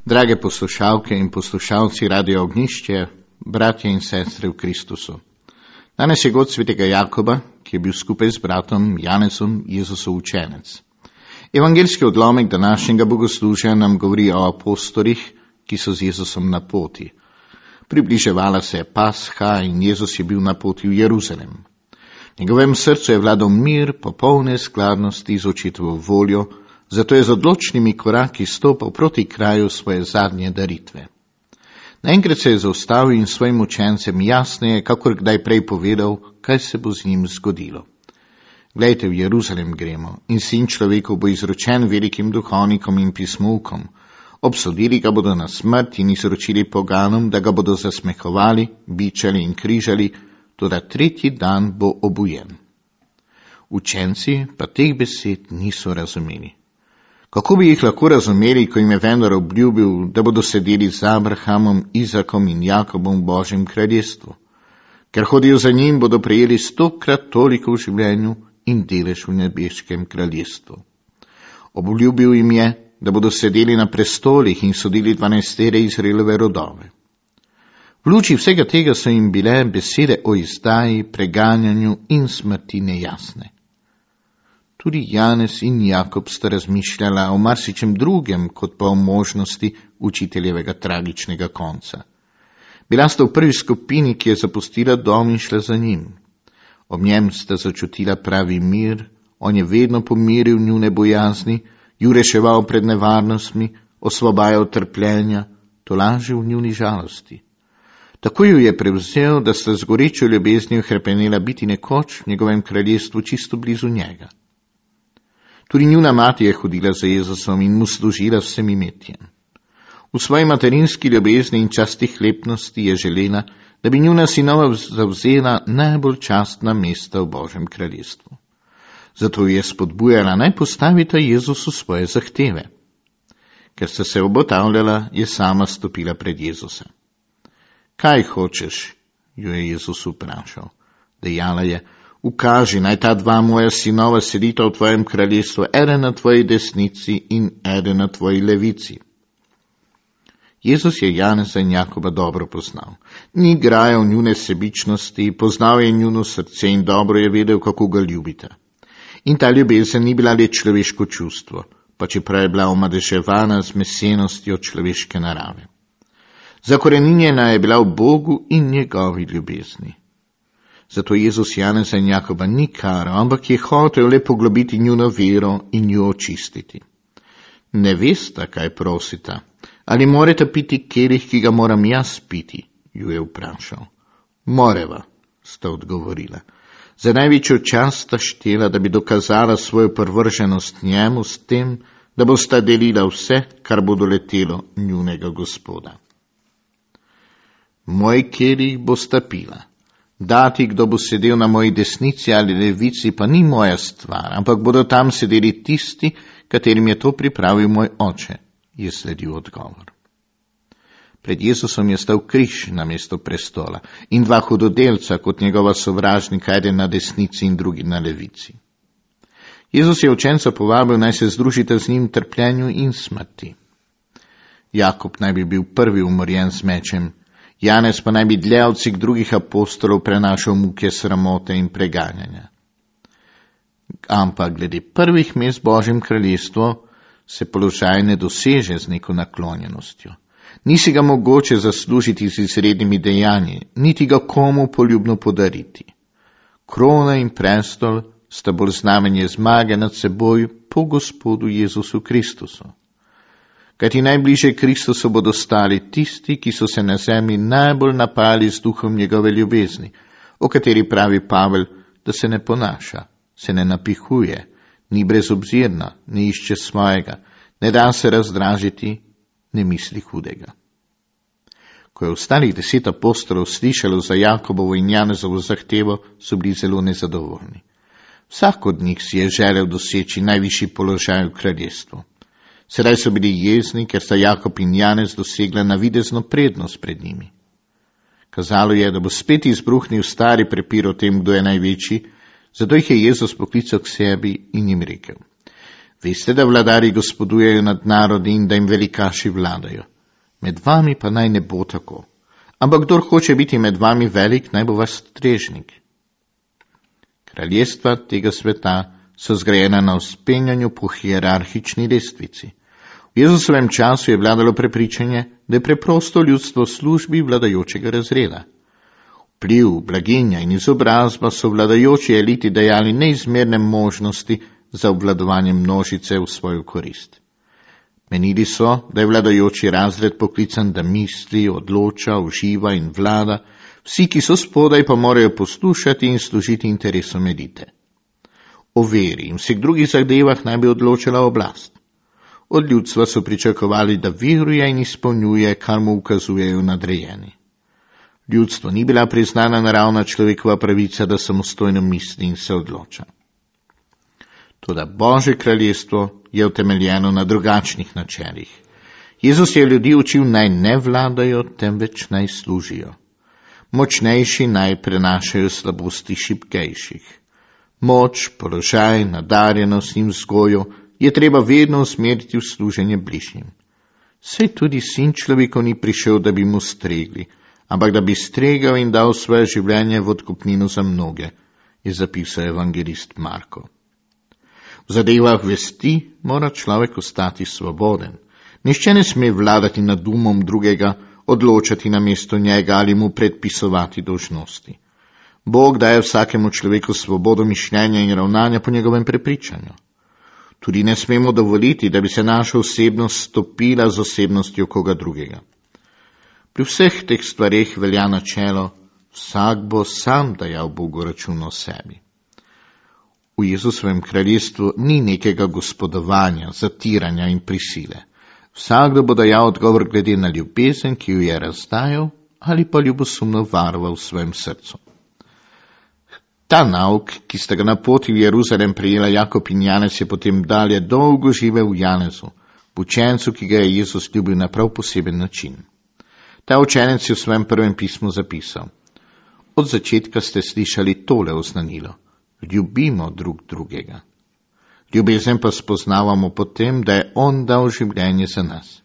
Drage poslušalke in poslušalci Radia Ognjišče, bratje in sestre v Kristusu. Danes je god svetega Jakoba, ki je bil skupaj z bratom Janezom Jezusov učenec. Evangeljski odlomek današnjega bogoslužja nam govori o apostolih, ki so z Jezusom na poti. Približevala se je Pasha in Jezus je bil na poti v Jeruzalem. V njegovem srcu je vladal mir, popolne skladnosti z očetovo voljo, zato je z odločnimi koraki stopal proti kraju svoje zadnje daritve. Naenkrat se je zaustavil in svojim učencem jasneje, kakor kdaj prej povedal, kaj se bo z njim zgodilo. Glejte, v Jeruzalem gremo in sin človekov bo izročen velikim duhovnikom in pismovkom. Obsodili ga bodo na smrt in izročili poganom, da ga bodo zasmehovali, bičali in križali, toda tretji dan bo obujen. Učenci pa teh besed niso razumeli. Kako bi jih lahko razumeli, ko jim je vendar obljubil, da bodo sedeli z Abrahamom, Izakom in Jakobom v Božjem kraljestvu? Ker hodijo za njim, bodo prejeli 100-krat toliko v življenju in delež v nebeškem kraljestvu. Obljubil jim je, da bodo sedeli na prestolih in sodili 12 Izraelove rodove. V luči vsega tega so jim bile besede o izdaji, preganjanju in smrti nejasne. Tudi Janez in Jakob sta razmišljala o marsičem drugem, kot pa o možnosti učiteljevega tragičnega konca. Bila sta v prvi skupini, ki je zapustila dom in šla za njim. Ob njem sta začutila pravi mir, on je vedno pomiril njune bojazni, ju reševal pred nevarnostmi, osvobajal trpljenja, tolažil njuni žalosti. Tako ju je prevzel, da sta z gorečo ljubeznijo hrepenela biti nekoč v njegovem kraljestvu čisto blizu njega. Tudi njuna mati je hodila za Jezusom in mu služila vsem imetjem. V svoji materinski ljubezni in častihlepnosti je želela, da bi njuna sinova zavzela najbolj častna mesta v Božjem kraljestvu. Zato je spodbujala, naj postavita Jezusu svoje zahteve. Ker sta se obotavljala, je sama stopila pred Jezusa. Kaj hočeš? Jo je Jezus vprašal. Dejala je, ukaži, naj ta dva moja sinova sedita v tvojem kraljestvu, eden na tvoji desnici in eden na tvoji levici. Jezus je Janeza in Jakoba dobro poznal. Ni grajal njune sebičnosti, poznal je njuno srce in dobro je vedel, kako ga ljubita. In ta ljubezen ni bila le človeško čustvo, pa čeprav je bila omadeževana z mesenostjo človeške narave. Zakoreninjena je bila v Bogu in njegovi ljubezni. Zato Jezus Janeza in Jakoba ni karal, ampak je hotel le poglobiti njuno vero in jo očistiti. Ne vesta, kaj prosita. Ali morate piti kelih, ki ga moram jaz piti? Ju je vprašal. Moreva, sta odgovorila. Za največjo čast sta štela, da bi dokazala svojo prvrženost njemu s tem, da bosta delila vse, kar bo doletelo njunega Gospoda. Moj kelih bosta pila. Dati, kdo bo sedel na moji desnici ali levici, pa ni moja stvar, ampak bodo tam sedeli tisti, katerim je to pripravil moj oče, je sledil odgovor. Pred Jezusom je stal križ na mesto prestola in dva hudodelca kot njegova sovražnika, eden na desnici in drugi na levici. Jezus je učenca povabil, naj se združita z njim v trpljenju in smrti. Jakob naj bi bil prvi umorjen z mečem, Janez pa naj bi dlje od vseh drugih apostolov prenašal muke sramote in preganjanja. Ampak glede prvih mest v Božjem kraljestvu se položaj ne doseže z neko naklonjenostjo. Nisi ga mogoče zaslužiti z izrednimi dejanji, niti ga komu poljubno podariti. Krona in prestol sta bolj znamenje zmage nad seboj po Gospodu Jezusu Kristusu. Kajti najbliže Kristusu bodo stali tisti, ki so se na zemlji najbolj napali z duhom njegove ljubezni, o kateri pravi Pavel, da se ne ponaša, se ne napihuje, ni brezobzirna, ne išče svojega, ne da se razdražiti, ne misli hudega. Ko je ostalih 10 apostolov slišalo za Jakobovo in Janezovo zahtevo, so bili zelo nezadovoljni. Vsak od njih si je želel doseči najvišji položaj v kraljestvu. Sedaj so bili jezni, ker sta Jakob in Janez dosegla navidezno prednost pred njimi. Kazalo je, da bo spet izbruhnil stari prepir o tem, kdo je največji, zato jih je Jezus poklical k sebi in jim rekel: Veste, da vladari gospodujejo nad narodi in da jim velikaši vladajo. Med vami pa naj ne bo tako. Ampak kdor hoče biti med vami velik, naj bo vaš strežnik. Kraljestva tega sveta so zgrajena na vzpenjanju po hierarhični lestvici. V Jezusovem času je vladalo prepričanje, da je preprosto ljudstvo v službi vladajočega razreda. Vpliv, blaginja in izobrazba so vladajoči eliti dajali neizmerne možnosti za obvladovanje množice v svojo korist. Menili so, da je vladajoči razred poklican, da misli, odloča, uživa in vlada, vsi, ki so spodaj, pa morajo poslušati in služiti interesom elite. O veri in vseh drugih zadevah naj bi odločala oblast. Od ljudstva so pričakovali, da veruje in izpolnjuje, kar mu ukazujejo nadrejeni. Ljudstvo ni bila priznana naravna človekova pravica, da samostojno misli in se odloča. Toda Božje kraljestvo je utemeljeno na drugačnih načelih. Jezus je ljudi učil, naj ne vladajo, temveč naj služijo. Močnejši naj prenašajo slabosti šibkejših. Moč, položaj, nadarjenost in vzgojo je treba vedno usmeriti v služenje bližnjim. Saj tudi sin človekov ni prišel, da bi mu stregli, ampak da bi stregal in dal svoje življenje v odkupnino za mnoge, je zapisal evangelist Marko. V zadevah vesti mora človek ostati svoboden. Nihče ne sme vladati nad umom drugega, odločati namesto njega ali mu predpisovati dolžnosti. Bog daje vsakemu človeku svobodo mišljenja in ravnanja po njegovem prepričanju. Tudi ne smemo dovoliti, da bi se naša osebnost stopila z osebnostjo koga drugega. Pri vseh teh stvareh velja načelo, vsak bo sam dajal Bogu račun o sebi. V Jezusovem kraljestvu ni nekega gospodovanja, zatiranja in prisile. Vsakdo bo dajal odgovor glede na ljubezen, ki jo je razdajal, ali pa ljubosumno varoval v svojem srcu. Ta nauk, ki sta ga na poti v Jeruzalem prijela Jakob in Janez, je potem dalje dolgo živel v Janezu, v učencu, ki ga je Jezus ljubil na prav poseben način. Ta učenec je v svojem prvem pismu zapisal: Od začetka ste slišali tole oznanilo: ljubimo drug drugega. Ljubezen pa spoznavamo po tem, da je on dal življenje za nas.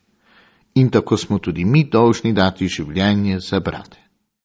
In tako smo tudi mi dolžni dati življenje za brate.